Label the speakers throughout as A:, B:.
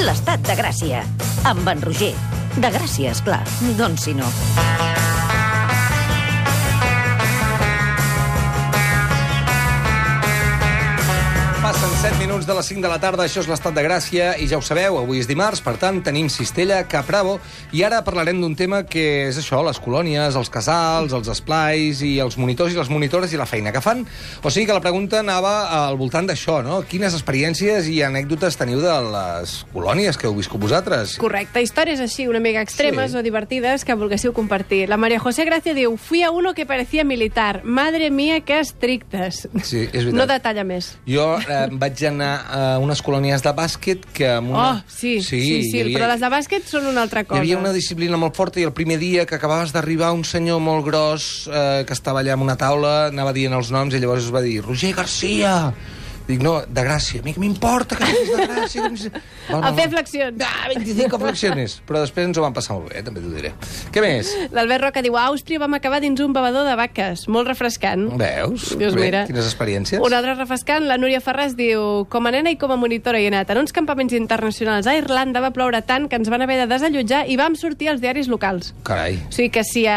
A: l'estat de Gràcia. Amb en Roger. De Gràcia, esclar. Doncs si no.
B: Passen 7 minuts de les 5 de la tarda, això és l'Estat de Gràcia, i ja ho sabeu, avui és dimarts, per tant, tenim Cistella, Cap Bravo, i ara parlarem d'un tema que és això, les colònies, els casals, els esplais, i els monitors i les monitores i la feina que fan. O sigui que la pregunta anava al voltant d'això, no? Quines experiències i anècdotes teniu de les colònies que heu viscut vosaltres?
C: Correcte, històries així, una mica extremes o divertides que volguéssiu compartir. La María José Gracia diu, fui a uno que parecía militar. Madre mía, que estrictes.
B: Sí, és veritat.
C: No detalla més.
B: Jo vaig anar a unes colònies de bàsquet que... Amb una...
C: Sí,
B: havia...
C: però les de bàsquet són una altra cosa.
B: Hi havia una disciplina molt forta i el primer dia que acabaves d'arribar un senyor molt gros que estava allà en una taula, anava dient els noms i llavors es va dir Roger Garcia. Dic, no, de Gràcia. A mi que m'importa que siguis de Gràcia.
C: A fer flexions.
B: 25 flexiones. Però després ens ho vam passar molt bé, també t'ho diré. Què més?
C: L'Albert Roca diu, a Àustria vam acabar dins un bevedor de vaques. Molt refrescant.
B: Veus?
C: Dius,
B: bé,
C: mira.
B: Quines experiències.
C: Un altre refrescant, la Núria Ferràs diu, com a nena i com a monitora he anat en uns campaments internacionals a Irlanda, va ploure tant que ens van haver de desallotjar i vam sortir als diaris locals.
B: Carai.
C: O sigui que si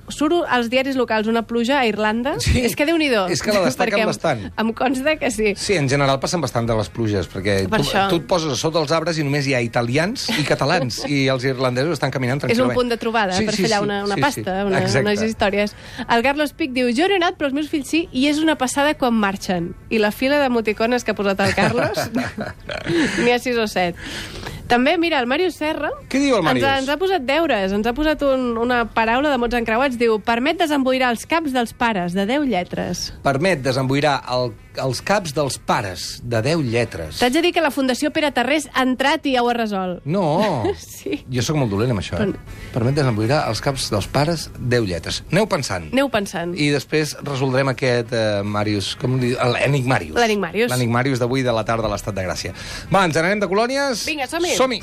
C: surt als diaris locals una pluja a Irlanda,
B: sí,
C: és que Déu-n'hi-do.
B: És que la destaquen bastant.
C: Em consta que sí.
B: Sí, en general passen bastant de les pluges, perquè tu et poses a sota els arbres i només hi ha italians i catalans, i els irlandesos estan caminant tranquil·lament.
C: És un punt de trobada per fer allà una pasta, unes històries. El Carlos Pic diu, jo no he anat, però els meus fills sí, i és una passada quan marxen. I la fila d'emoticones que ha posat el Carlos, n'hi ha 6 o 7. També, mira, el Màrius Serra...
B: Què diu el Màrius?
C: Ens ha posat deures, ens ha posat una paraula de mots encreuats. Diu, permet desemboirar els caps dels pares, de 10 lletres.
B: Permet desemboirar els caps dels pares, de 10 lletres.
C: T'haig de dir que la Fundació Pere Tarrés ha entrat i ja ho ha resolt.
B: No,
C: sí.
B: Jo sóc molt dolent amb això. Permet desemboirar els caps dels pares, 10 lletres. Aneu pensant.
C: Aneu pensant.
B: I després resoldrem aquest Màrius, com li diu? L'Enigmàrius.
C: L'Enigmàrius.
B: L'Enigmàrius d'avui de la tarda a l'Estat de Gràcia. Va, ens n'anem de colònies?
C: Vinga, som-hi.
B: Som-hi.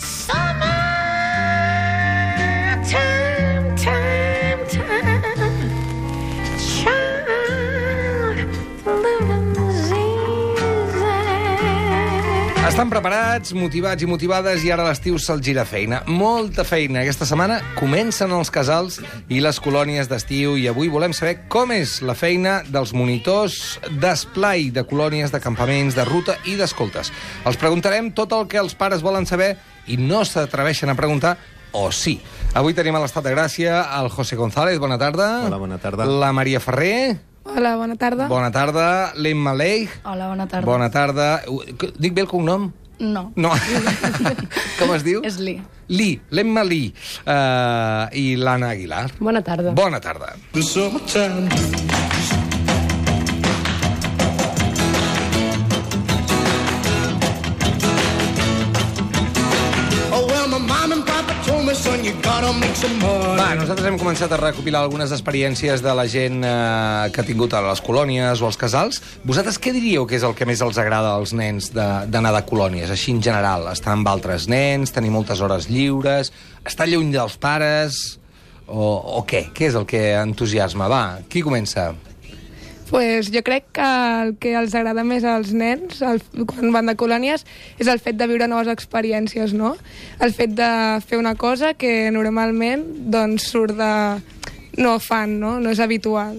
B: Estan preparats, motivats i motivades, i ara l'estiu se'ls gira feina. Molta feina. Aquesta setmana comencen els casals i les colònies d'estiu, i avui volem saber com és la feina dels monitors d'esplai, de colònies, de campaments, de ruta i d'escoltes. Els preguntarem tot el que els pares volen saber i no s'atreveixen a preguntar, o sí. Avui tenim a l'Estat de Gràcia el José González, bona tarda.
D: Hola, bona tarda.
B: La Maria Ferrer.
E: Hola, bona tarda.
B: Bona tarda. L'Emma Leigh.
E: Hola, bona tarda.
B: Bona tarda. Dic bé el cognom?
E: No.
B: No. Com es diu?
E: És Li.
B: Li, l'Emma Li. I l'Anna Aguilar.
E: Bona tarda.
B: Bona tarda. Va, nosaltres hem començat a recopilar algunes experiències de la gent que ha tingut a les colònies o als casals. Vosaltres què diríeu que és el que més els agrada als nens d'anar de colònies, així en general? Estar amb altres nens, tenir moltes hores lliures, estar lluny dels pares, o què? Què és el que entusiasma? Va, qui comença?
E: Pues jo crec que el que els agrada més als nens quan van de colònies és el fet de viure noves experiències, no? El fet de fer una cosa que normalment doncs, surt de... no fan, no? No és habitual.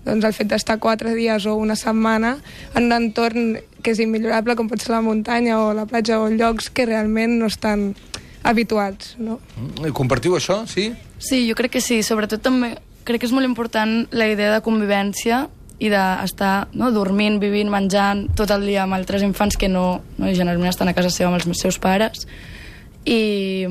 E: Doncs el fet d'estar 4 dies o una setmana en un entorn que és immillorable, com pot ser la muntanya o la platja o llocs que realment no estan habituats, no?
B: Compartiu això, sí?
F: Sí, jo crec que sí. Sobretot també crec que és molt important la idea de convivència i d'estar dormint, vivint, menjant tot el dia amb altres infants que no generalment estan a casa seva amb els seus pares, i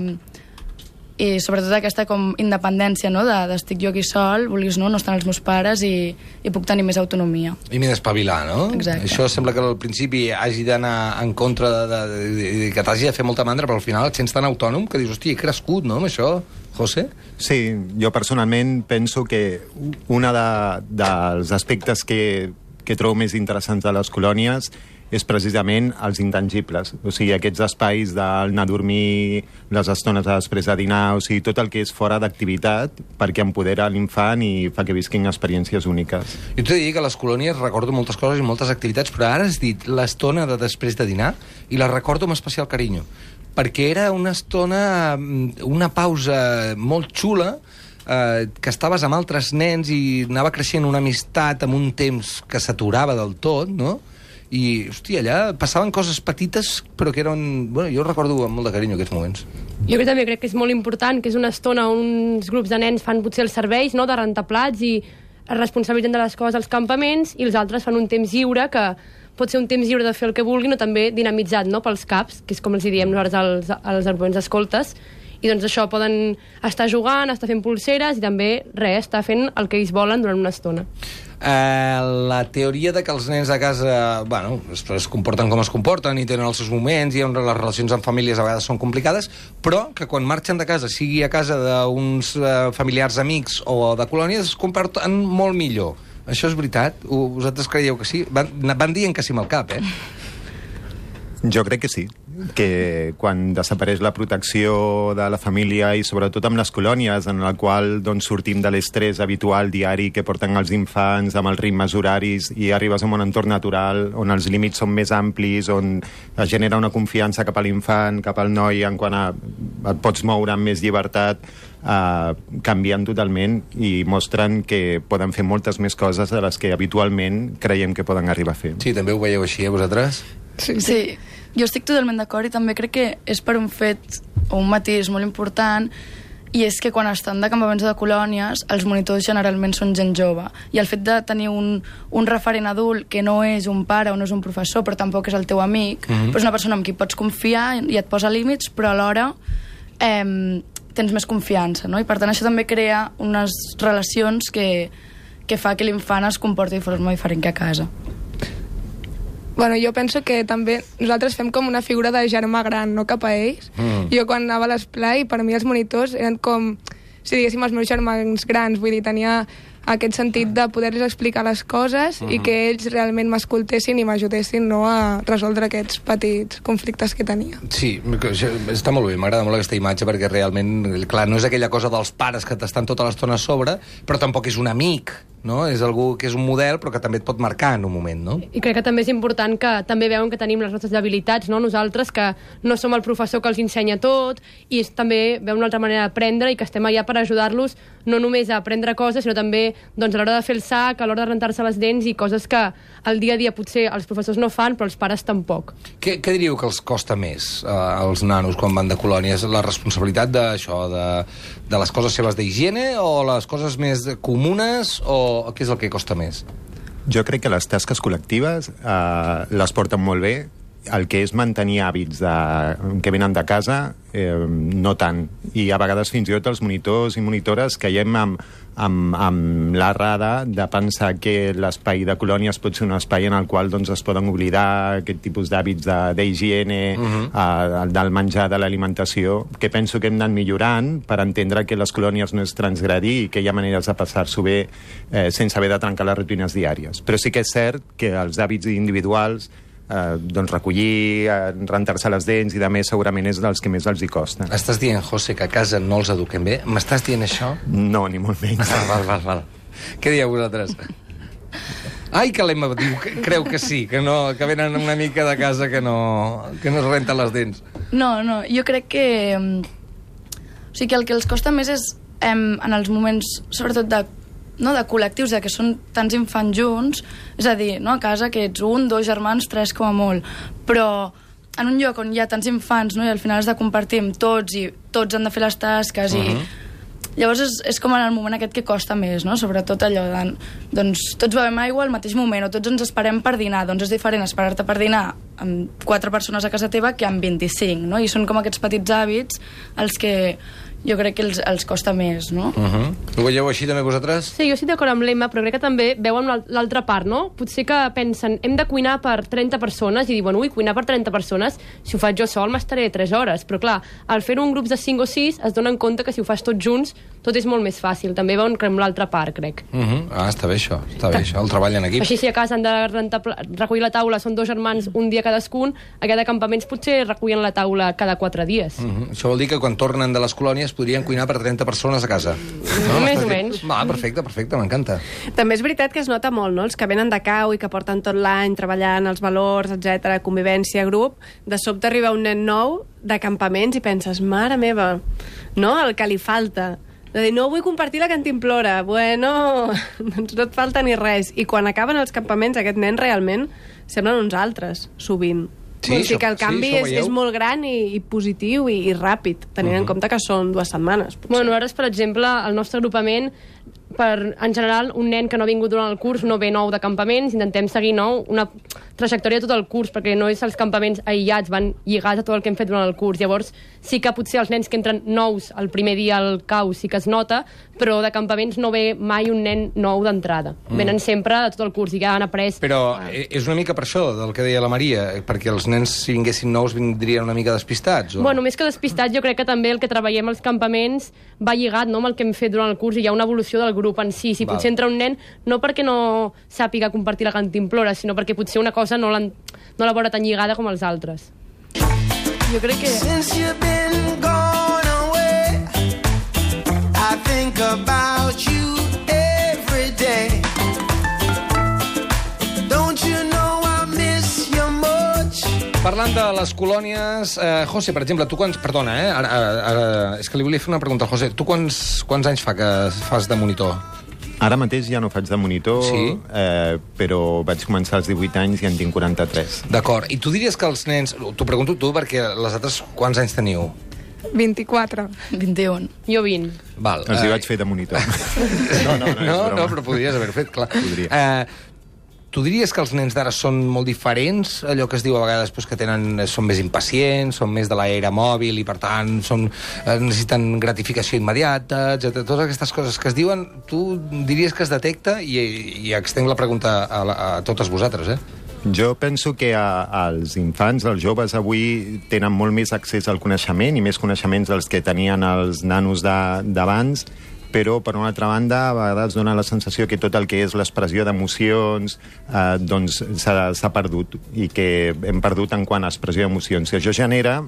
F: sobretot aquesta com independència, no? D'estic jo aquí sol, vulguis no estan els meus pares i puc tenir més autonomia.
B: I m'he d'espavilar, no?
F: Exacte.
B: Això sembla que al principi hagi d'anar en contra que t'hagi de fer molta mandra, però al final et sents tan autònom que dius, hòstia, he crescut, no, amb això, José?
D: Sí, jo personalment penso que un dels aspectes que trobo més interessants de les colònies és precisament els intangibles. O sigui, aquests espais d'anar a dormir, les estones després de dinar, o sigui, tot el que és fora d'activitat, perquè empodera l'infant i fa que visquin experiències úniques.
B: Jo t'he de dir que a les colònies recordo moltes coses i moltes activitats, però ara has dit l'estona de després de dinar i la recordo amb especial carinyo, perquè era una estona, una pausa molt xula, que estaves amb altres nens i anava creixent una amistat amb un temps que s'aturava del tot, no? I, hòstia, allà passaven coses petites, però que eren... Bueno, jo recordo amb molt de carinyo aquests moments.
G: Jo també crec que és molt important, que és una estona on uns grups de nens fan potser els serveis, no?, de rentar plats i es responsabilitzen de les coses als campaments, i els altres fan un temps lliure, que pot ser un temps lliure de fer el que vulguin, o també dinamitzat, no?, pels caps, que és com els diem nosaltres als arguments escoltes. I doncs això, poden estar jugant, estar fent pulseres i també, estar fent el que ells volen durant una estona.
B: La teoria de que els nens a casa, bueno, es comporten com es comporten i tenen els seus moments i les relacions amb famílies a vegades són complicades, però que quan marxen de casa, sigui a casa d'uns familiars amics o de colònies, es comporten molt millor. Això és veritat? Vosaltres creieu que sí? Van dient que sí amb el cap,
D: Jo crec que sí, que quan desapareix la protecció de la família i sobretot amb les colònies en la qual doncs, sortim de l'estrès habitual diari que porten els infants amb els ritmes horaris i arribes a un entorn natural on els límits són més amplis, on es genera una confiança cap a l'infant, cap al noi en quant a et pots moure amb més llibertat, canvien totalment i mostren que poden fer moltes més coses de les que habitualment creiem que poden arribar a fer.
B: Sí, també ho veieu així, vosaltres?
F: Sí, jo estic totalment d'acord i també crec que és per un fet o un matís molt important, i és que quan estan de campaments o de colònies els monitors generalment són gent jove, i el fet de tenir un referent adult que no és un pare o no és un professor però tampoc és el teu amic, però és una persona amb qui pots confiar i et posa límits, però alhora tens més confiança, no? I per tant això també crea unes relacions que fa que l'infant es comporti de forma diferent que a casa.
E: Bueno, jo penso que també nosaltres fem com una figura de germà gran, no cap a ells. Jo quan anava a l'esplai, per mi els monitors eren com, si diguéssim, els meus germans grans, vull dir, tenia aquest sentit de poder-los explicar les coses i que ells realment m'escoltessin i m'ajudessin, no, a resoldre aquests petits conflictes que tenia.
B: Sí, està molt bé, m'agrada molt aquesta imatge perquè realment, clar, no és aquella cosa dels pares que t'estan tota l'estona a sobre, però tampoc és un amic, no? És algú que és un model però que també et pot marcar en un moment, no?
G: I crec que també és important que també veuen que tenim les nostres habilitats, no? Nosaltres, que no som el professor que els ensenya tot, i també veuen una altra manera d'aprendre i que estem allà per ajudar-los no només a aprendre coses, sinó també doncs, a l'hora de fer el sac, a l'hora de rentar-se les dents i coses que al dia a dia potser els professors no fan, però els pares tampoc.
B: Què diríeu que els costa més als nanos quan van de colònies? La responsabilitat d'això, de les coses seves d'higiene, o les coses més comunes, o què és el que costa més?
D: Jo crec que les tasques col·lectives les porten molt bé. El que és mantenir hàbits que venen de casa, no tant. I a vegades fins i tot els monitors i monitores caiem amb l'errada de pensar que l'espai de colònies pot ser un espai en el qual doncs, es poden oblidar aquest tipus d'hàbits d'higiene, del menjar, de l'alimentació, que penso que hem d'anar millorant per entendre que les colònies no és transgredir i que hi ha maneres de passar-s'ho bé sense haver de trencar les rutines diàries. Però sí que és cert que els hàbits individuals, doncs recollir, rentar-se les dents i de més segurament és dels que més els hi costa.
B: Estàs dient, José, que a casa no els eduquem bé? M'estàs dient això?
D: No, ni molt menys.
B: Val. Què dieu vosaltres? Ai, que l'Emma diu, creu que sí, que venen una mica de casa que no es renten les dents.
F: No, jo crec que o sigui que el que els costa més és en els moments, sobretot de col·lectius, que són tants infants junts, és a dir, a casa que ets 1, 2 germans, 3 com a molt, però en un lloc on hi ha tants infants, i al final has de compartir amb tots i tots han de fer les tasques i llavors és com en el moment aquest que costa més, sobretot allò de doncs tots bevem aigua al mateix moment o tots ens esperem per dinar, doncs és diferent esperar-te per dinar amb 4 persones a casa teva que amb 25, i són com aquests petits hàbits els que jo crec que els costa més, no?
B: Ho veieu així també vosaltres?
G: Sí, jo estic d'acord amb l'Emma, però crec que també veuen l'altra part, no? Potser que pensen, hem de cuinar per 30 persones i diuen, cuinar per 30 persones, si ho faig jo sol m'estaré 3 hores, però clar, al fer-ho en grups de 5 o 6 es donen compte que si ho fas tots junts tot és molt més fàcil. També veuen que amb l'altra part, crec.
B: Està bé això, el treball en equip.
G: Així, si a casa han de recollir la taula, són 2 germans un dia cadascun, aquest de campaments potser recullen la taula cada 4 dies.
B: Això vol dir que quan tornen de les colònies podrien cuinar per 30 persones a casa.
G: Més o menys.
B: Perfecte, m'encanta.
C: També és veritat que es nota molt, no? Els que venen de cau i que porten tot l'any treballant els valors, etc, convivència, grup, de sobte arriba un nen nou de campaments i penses, mare meva, no? El que li falta. De dir, no vull compartir la cantimplora. Bueno, doncs no et falta ni res. I quan acaben els campaments, aquest nen realment semblen uns altres, sovint.
B: Sí,
C: o sigui que el canvi és molt gran i positiu i ràpid, tenint en compte que són 2 setmanes. Potser.
G: Bueno, ara, per exemple, el nostre agrupament, en general, un nen que no ha vingut durant el curs no ve nou de campaments, intentem seguir una trajectòria de tot el curs, perquè no és els campaments aïllats, van lligats a tot el que hem fet durant el curs. Llavors, sí que potser els nens que entren nous el primer dia al cau sí que es nota, però de campaments no ve mai un nen nou d'entrada. Venen sempre de tot el curs i ja han après...
B: Però és una mica per això, del que deia la Maria, perquè els nens, si vinguessin nous, vindrien una mica despistats? O...
G: Bueno, més que despistats, jo crec que també el que treballem als campaments va lligat, no?, amb el que hem fet durant el curs, i hi ha una evolució del grup en si. Si potser entra un nen, no perquè no sàpiga compartir la cantimplora, sinó perquè potser una cosa no la veurà tan lligada com els altres.
F: Jo crec que... I think about you every day. Don't you know I miss you much?
B: Parlant de les colònies, José, per exemple, tu quants... Perdona, ara, és que li volia fer una pregunta al José. Tu quants anys fa que fas de monitor?
D: Ara mateix ja no faig de monitor,
B: sí?
D: Però vaig començar als 18 anys i en tinc 43.
B: D'acord. I tu diries que els nens... T'ho pregunto tu, perquè les altres quants anys teniu?
E: 24.
F: 21.
G: Jo 20.
B: Val.
D: Els hi vaig fer de monitor.
B: No, però podries haver fet, clar. Tu diries que els nens d'ara són molt diferents? Allò que es diu a vegades que són més impacients, són més de l'era mòbil i, per tant, necessiten gratificació immediata, etc. Totes aquestes coses que es diuen, tu diries que es detecta? I extenc la pregunta a totes vosaltres,
D: Jo penso que els infants, els joves avui tenen molt més accés al coneixement i més coneixements dels que tenien els nanos d'abans, però, per una altra banda, a vegades dona la sensació que tot el que és l'expressió d'emocions doncs s'ha perdut, i que hem perdut en quant a expressió d'emocions. I això genera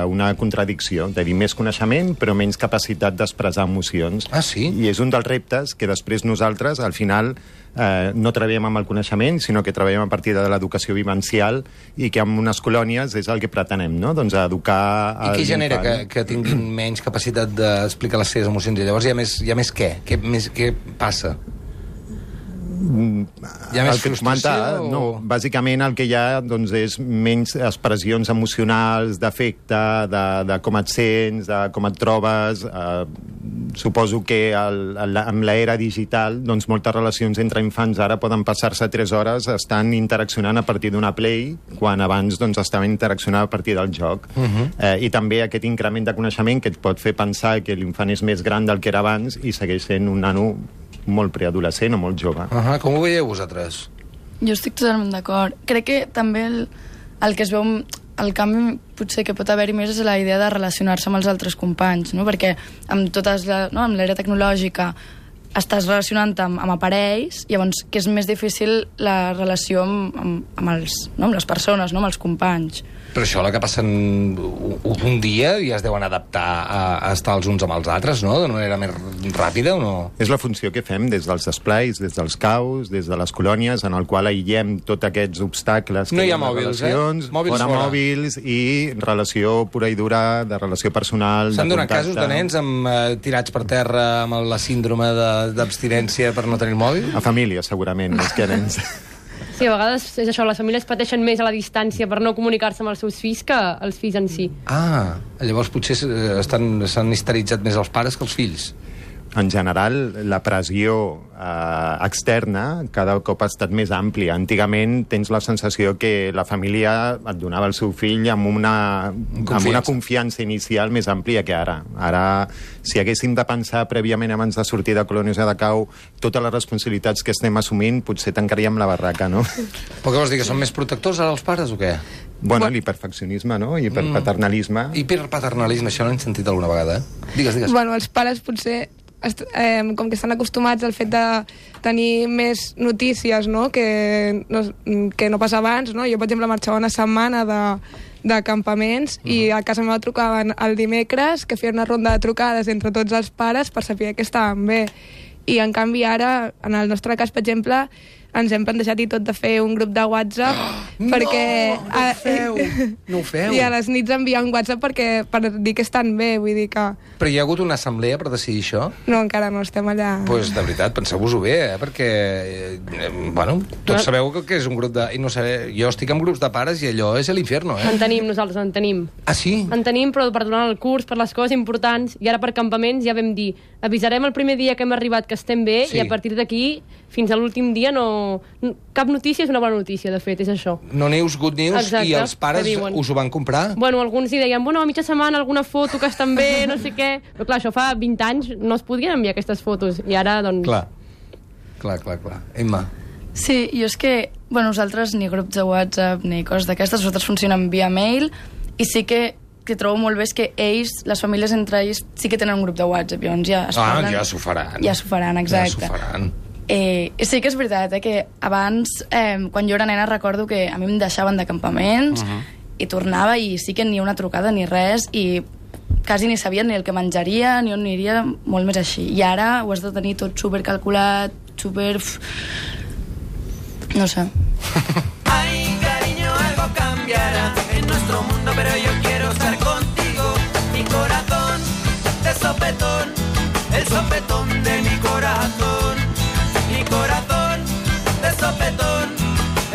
D: una contradicció, de dir més coneixement però menys capacitat d'expressar emocions.
B: Ah, sí?
D: I és un dels reptes que després nosaltres, al final, no treballem amb el coneixement, sinó que treballem a partir de l'educació vivencial, i que en unes colònies és el que pretenem, no? Doncs educar...
B: I què genera que tinguin menys capacitat d'explicar les seves emocions? I llavors hi ha més què? Què passa? Hi ha més frustració?
D: No, bàsicament el que hi ha doncs, és menys expressions emocionals, d'afecte, de com et sents, de com et trobes. Suposo que amb l'era digital doncs, moltes relacions entre infants ara poden passar-se 3 hores estan interaccionant a partir d'una Play, quan abans doncs, estaven interaccionant a partir del joc. I també aquest increment de coneixement que et pot fer pensar que l'infant és més gran del que era abans i segueix sent un nano molt preadolescent o molt jove.
B: Com ho veieu vosaltres?
F: Jo estic totalment d'acord. Crec que també el que es veu... El canvi potser que pot haver-hi més és la idea de relacionar-se amb els altres companys, no? Perquè amb l'era tecnològica estàs relacionant amb aparells, llavors que és més difícil la relació amb les persones, no? Amb els companys.
B: Però això, la que passen un dia, ja es deuen adaptar a estar els uns amb els altres, no? D'una manera més ràpida, o no?
D: És la funció que fem des dels esplais, des dels caus, des de les colònies, en el qual aïllem tots aquests obstacles.
B: No hi ha mòbils,
D: fora mòbils i relació pura i dura, de relació personal, de contacte.
B: S'han donat casos de nens tirats per terra amb la síndrome d'abstinència per no tenir el mòbil?
D: A família, segurament, més que nens.
G: Sí, a vegades és això, les famílies pateixen més a la distància per no comunicar-se amb els seus fills que els fills en si.
B: Llavors potser s'han histeritzat més els pares que els fills.
D: En general, la pressió externa cada cop ha estat més àmplia. Antigament tens la sensació que la família et donava el seu fill amb una confiança inicial més àmplia que ara. Ara, si haguéssim de pensar prèviament abans de sortir de colònies de cau totes les responsabilitats que estem assumint, potser tancaríem la barraca, no?
B: Però què vols dir, que són més protectors ara els pares o què?
D: Bueno, l'hiperfeccionisme, no? Hiperpaternalisme.
B: Hiperpaternalisme, això no he sentit alguna vegada, Digues.
E: Bueno, els pares potser com que estan acostumats al fet de tenir més notícies, no? Que no passa abans, no? Jo, per exemple, marxava una setmana de campaments i a casa meva trucaven el dimecres, que feien una ronda de trucades entre tots els pares per saber que estaven bé. I, en canvi, ara, en el nostre cas, per exemple, ens hem plantejat i tot de fer un grup de WhatsApp perquè...
B: No ho feu!
E: I a les nits enviar un WhatsApp per dir que estan bé, vull dir que...
B: Però hi ha hagut una assemblea per decidir això?
E: No, encara no, estem allà...
B: Doncs, de veritat, penseu-vos-ho bé, perquè... Bueno, tots sabeu que és un grup de... I no sé, jo estic en grups de pares i allò és l'inferno,
G: En tenim, nosaltres, en tenim.
B: Ah, sí?
G: En tenim, però per donar el curs, per les coses importants, i ara per campaments ja vam dir, avisarem el primer dia que hem arribat que estem bé, i a partir d'aquí, fins a l'últim dia, cap notícia és una bona notícia, de fet, és això.
B: No news, good news. Exacte, i els pares us ho van comprar?
G: Bueno, alguns hi deien, bueno, a mitja setmana alguna foto que estan bé, no sé què... Però clar, això fa 20 anys no es podien enviar aquestes fotos, i ara, doncs...
B: Clar. Emma.
F: Sí, jo és que, bueno, nosaltres ni grups de WhatsApp ni coses d'aquestes, nosaltres funcionen via mail, i sí que trobo molt bé és que ells, les famílies entre ells, sí que tenen un grup de WhatsApp, llavors ja es parlen...
B: ja s'ho faran.
F: Ja s'ho faran, exacte.
B: Ja s'ho faran.
F: Sí que és veritat, que abans, quan jo era nena, recordo que a mi em deixaven de campaments i tornava i sí que ni una trucada ni res i quasi ni sabia ni el que menjaria ni on aniria, molt més així. I ara ho has de tenir tot supercalculat, super... No sé.
H: Ay, cariño, algo cambiará en nuestro mundo, pero yo quiero estar contigo. Mi corazón de sopetón, el sopetón de mi corazón. Mi corazón de sopetón,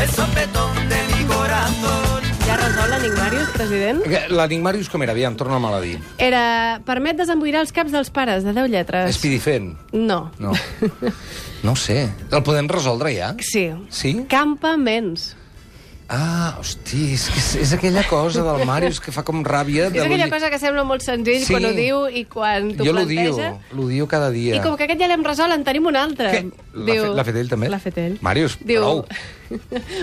H: el sopetón de mi corazón.
C: Ja resol l'enigmàrius, president?
B: L'enigmàrius com era? Aviam, torna'm a dir.
C: Era... Permet desemboirar els caps dels pares, de 10 lletres.
B: Espidifent?
C: No.
B: No ho sé. El podem resoldre ja?
C: Sí.
B: Sí?
C: Campaments.
B: Ah, hosti, és aquella cosa del Màrius que fa com ràbia.
C: És aquella cosa que sembla molt senzill quan ho diu i quan t'ho planteja.
B: Jo l'ho diu cada dia.
C: I com que aquest ja l'hem resolt, en tenim un altre.
B: L'ha fet ell també?
C: L'ha fet ell.
B: Màrius, prou.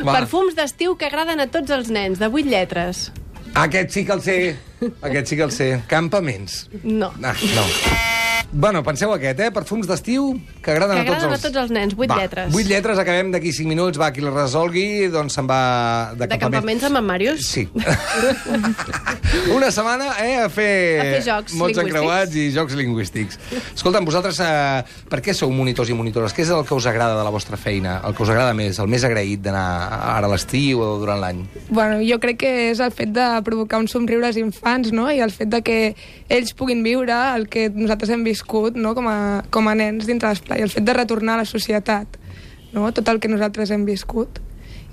C: Perfums d'estiu que agraden a tots els nens, de 8 lletres.
B: Aquest sí que el sé. Campaments.
C: No.
B: No. Bueno, penseu aquest, Perfums d'estiu que agraden a tots
C: els nens, 8 lletres.
B: 8 lletres, acabem d'aquí 5 minuts. Va, qui la resolgui, doncs se'n va de campaments.
C: De campaments amb en Màrius?
B: Sí. Una setmana, a fer
C: jocs
B: mots
C: lingüístics.
B: encreuats i jocs lingüístics. Escolta'm, vosaltres, per què sou monitors i monitores? Què és el que us agrada de la vostra feina? El que us agrada més? El més agraït d'anar ara a l'estiu o durant l'any?
E: Bueno, jo crec que és el fet de provocar un somriure als infants, no? I el fet de que ells puguin viure el que nosaltres hem viscut, no? com a nens dintre l'esplai, el fet de retornar a la societat, no? Tot el que nosaltres hem viscut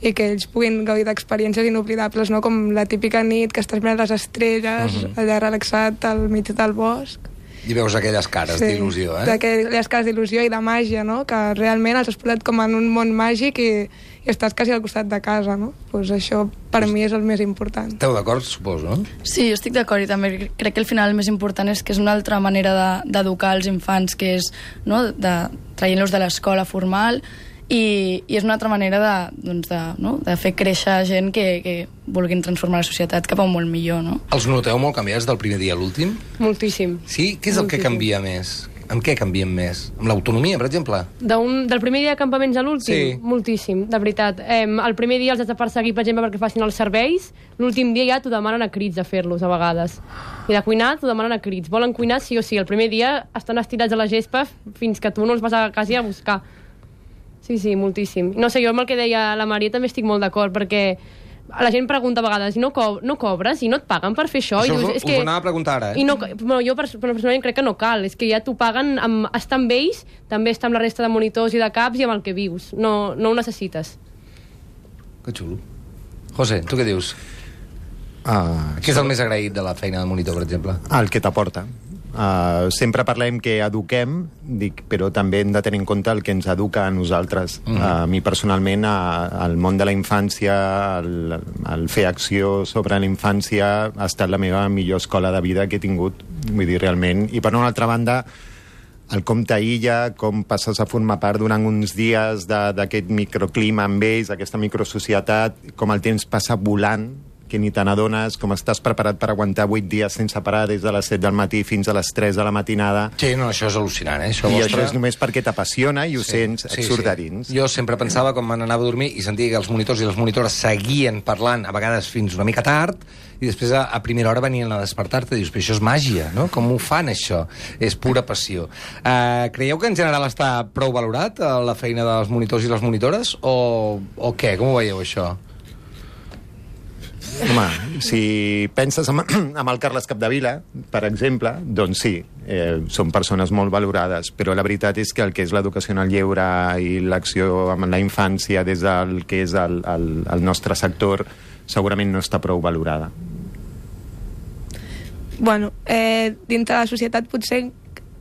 E: i que ells puguin gaudir d'experiències inoblidables, no? Com la típica nit que estàs mirant les estrelles, allà relaxat al mig del bosc.
B: I veus aquelles cares d'il·lusió,
E: aquelles cares d'il·lusió i de màgia, no? Que realment els has posat com en un món màgic i estàs quasi al costat de casa, no? Pues això per mi és el més important.
B: Esteu d'acord, suposo, no?
F: Sí, jo estic d'acord i també crec que al final el més important és que és una altra manera d'educar els infants, que és, no?, traient-los de l'escola formal i és una altra manera de fer créixer gent que vulguin transformar la societat cap a un molt millor, no?
B: Els noteu molt canviats del primer dia a l'últim?
G: Moltíssim.
B: Sí? Què és el que canvia més? Amb què canviem més? Amb l'autonomia, per exemple?
G: Del primer dia de campaments a l'últim?
B: Sí.
G: Moltíssim, de veritat. El primer dia els has de perseguir, per exemple, perquè facin els serveis. L'últim dia ja t'ho demanen a crits a fer-los, a vegades. I de cuinar t'ho demanen a crits. Volen cuinar sí o sí. El primer dia estan estirats a la gespa fins que tu no els vas a casa a buscar. Sí, moltíssim. No sé, jo amb el que deia la Maria també estic molt d'acord, perquè la gent pregunta a vegades, no cobres i no et paguen per fer això?
B: Això
G: I dius,
B: us ho anava a preguntar ara,
G: jo personalment crec que no cal, és que ja t'ho paguen amb estar amb ells, també estar amb la resta de monitors i de caps i amb el que vius, no ho necessites.
B: Que xulo. José, tu què dius? Què és el més agraït de la feina de monitor, per exemple?
D: El que t'aporta. Sempre parlem que eduquem, però també hem de tenir en compte el que ens educa a nosaltres. A mi personalment el món de la infància, el fer acció sobre la infància ha estat la meva millor escola de vida que he tingut, vull dir, realment. I per una altra banda, el com t'aïlla, com passes a formar part durant uns dies d'aquest microclima amb ells, aquesta microsocietat, com el temps passa volant, que ni te n'adones, com estàs preparat per aguantar 8 dies sense parar des de les 7 del matí fins a les 3 de la matinada.
B: Sí, no, això és al·lucinant, Això
D: I això és només perquè t'apassiona i ho sents, et surt de dins.
B: Jo sempre pensava, quan me n'anava a dormir, i sentia que els monitors i les monitores seguien parlant, a vegades fins una mica tard, i després a primera hora venien a despertar-te i dius, però això és màgia, no? Com ho fan, això? És pura passió. Creieu que en general està prou valorat la feina dels monitors i les monitores? O què? Com ho veieu, això?
D: Home, si penses en el Carles Capdevila, per exemple, doncs sí, són persones molt valorades, però la veritat és que el que és l'educació en el lleure i l'acció amb la infància des del que és el nostre sector segurament no està prou valorada.
E: Bueno, dintre de la societat potser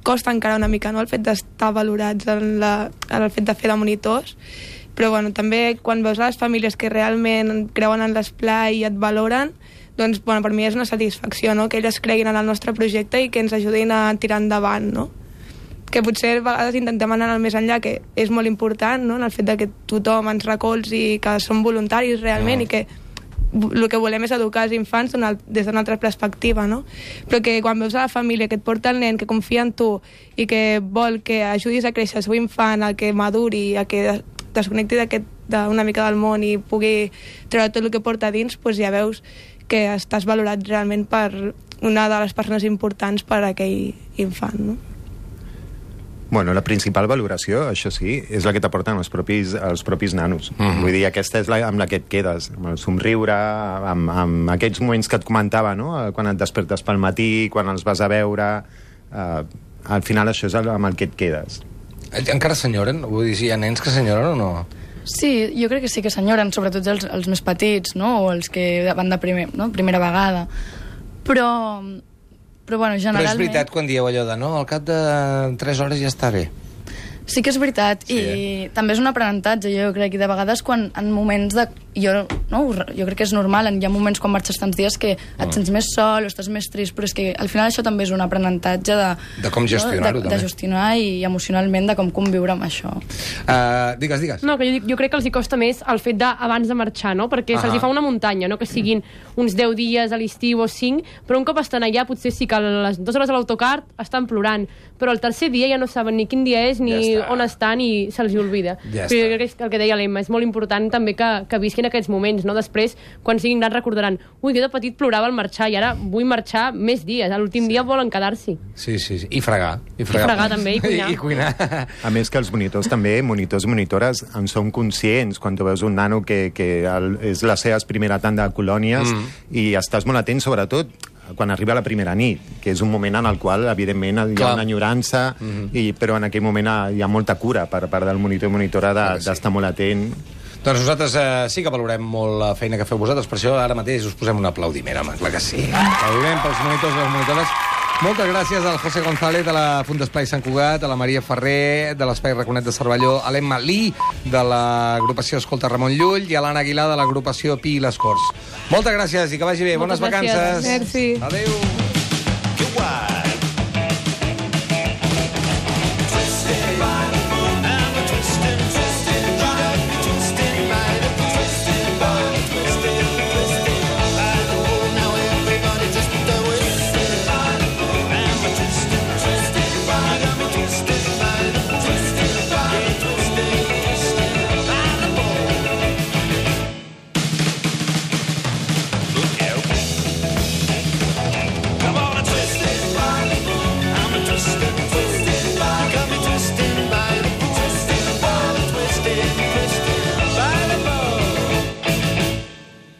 E: costa encara una mica, no?, el fet d'estar valorats en el fet de fer de monitors, però bueno, també quan veus les famílies que realment creuen en l'esplai i et valoren, doncs bueno, per mi és una satisfacció, no?, que elles creguin en el nostre projecte i que ens ajudin a tirar endavant, no? Que potser a vegades intentem anar al més enllà, que és molt important, no?, en el fet de que tothom ens recolzi, que som voluntaris realment i que el que volem és educar els infants des d'una altra perspectiva, no? Però que quan veus a la família que et porta el nen, que confia en tu i que vol que ajudis a créixer el seu infant, a que maduri, a que desconnecti d'una mica del món i pugui treure tot el que porta dins, doncs ja veus que estàs valorat realment per una de les persones importants per a aquell infant, no?
D: Bueno, la principal valoració, això sí, és la que t'aporten els propis nanos. Vull dir, aquesta és amb la que et quedes, amb el somriure, amb aquests moments que et comentava, no?, quan et despertes pel matí, quan els vas a veure. Al final això és amb el que et quedes.
B: Encara s'enyoren? Vull dir, si hi ha nens que s'enyoren o no?
F: Sí, jo crec que sí que s'enyoren, sobretot els més petits, no?, o els que van de primera vegada. Però bueno, generalment...
B: Però és veritat quan dieu allò de no, al cap de 3 hores ja està bé.
F: Sí que és veritat, sí, i també és un aprenentatge, jo crec, i de vegades quan en moments de... Jo crec que és normal, hi ha moments quan marxes tants dies que et sents més sol o estàs més trist, però és que al final això també és un aprenentatge
B: de com gestionar-ho, també.
F: De gestionar i emocionalment de com conviure amb això.
B: Digues.
G: No, que jo crec que els hi costa més el fet d'abans de marxar, no? Perquè se'ls hi fa una muntanya, no? Que siguin uns 10 dies a l'estiu o 5, però un cop estan allà potser sí que a les 2 hores a l'autocar estan plorant, però el tercer dia ja no saben ni quin dia és ni on estan i se'ls hi oblida. Però jo crec que el que deia l'Emma, és molt important també que visquin aquests moments, no? Després, quan siguin grans, recordaran jo de petit plorava al marxar i ara vull marxar més dies. A l'últim dia volen quedar-s'hi.
B: Sí. I fregar. I
G: fregar també, i cuinar.
D: A més que els monitors també, monitors i monitores, en són conscients quan tu veus un nano que és la seva primera tanda de colònies i estàs molt atent, sobretot quan arriba la primera nit, que és un moment en el qual, evidentment, hi ha una enyorança, però en aquell moment hi ha molta cura per part del monitor i monitora d'estar molt atent.
B: Doncs nosaltres sí que valorem molt la feina que feu vosaltres, per això ara mateix us posem un aplaudiment, home, clar que sí. Aplaudiment pels monitors i les monitores. Moltes gràcies al José González de la Funda Esplai Sant Cugat, a la Maria Ferrer de l'Espai Raconet de Cervelló, a l'Emma Lee de l'agrupació Escolta Ramon Llull i a l'Anna Aguilar de l'agrupació Pi i les Corts. Moltes gràcies i que vagi bé. Bones vacances.
E: Merci.
B: Adéu.
H: Que guai.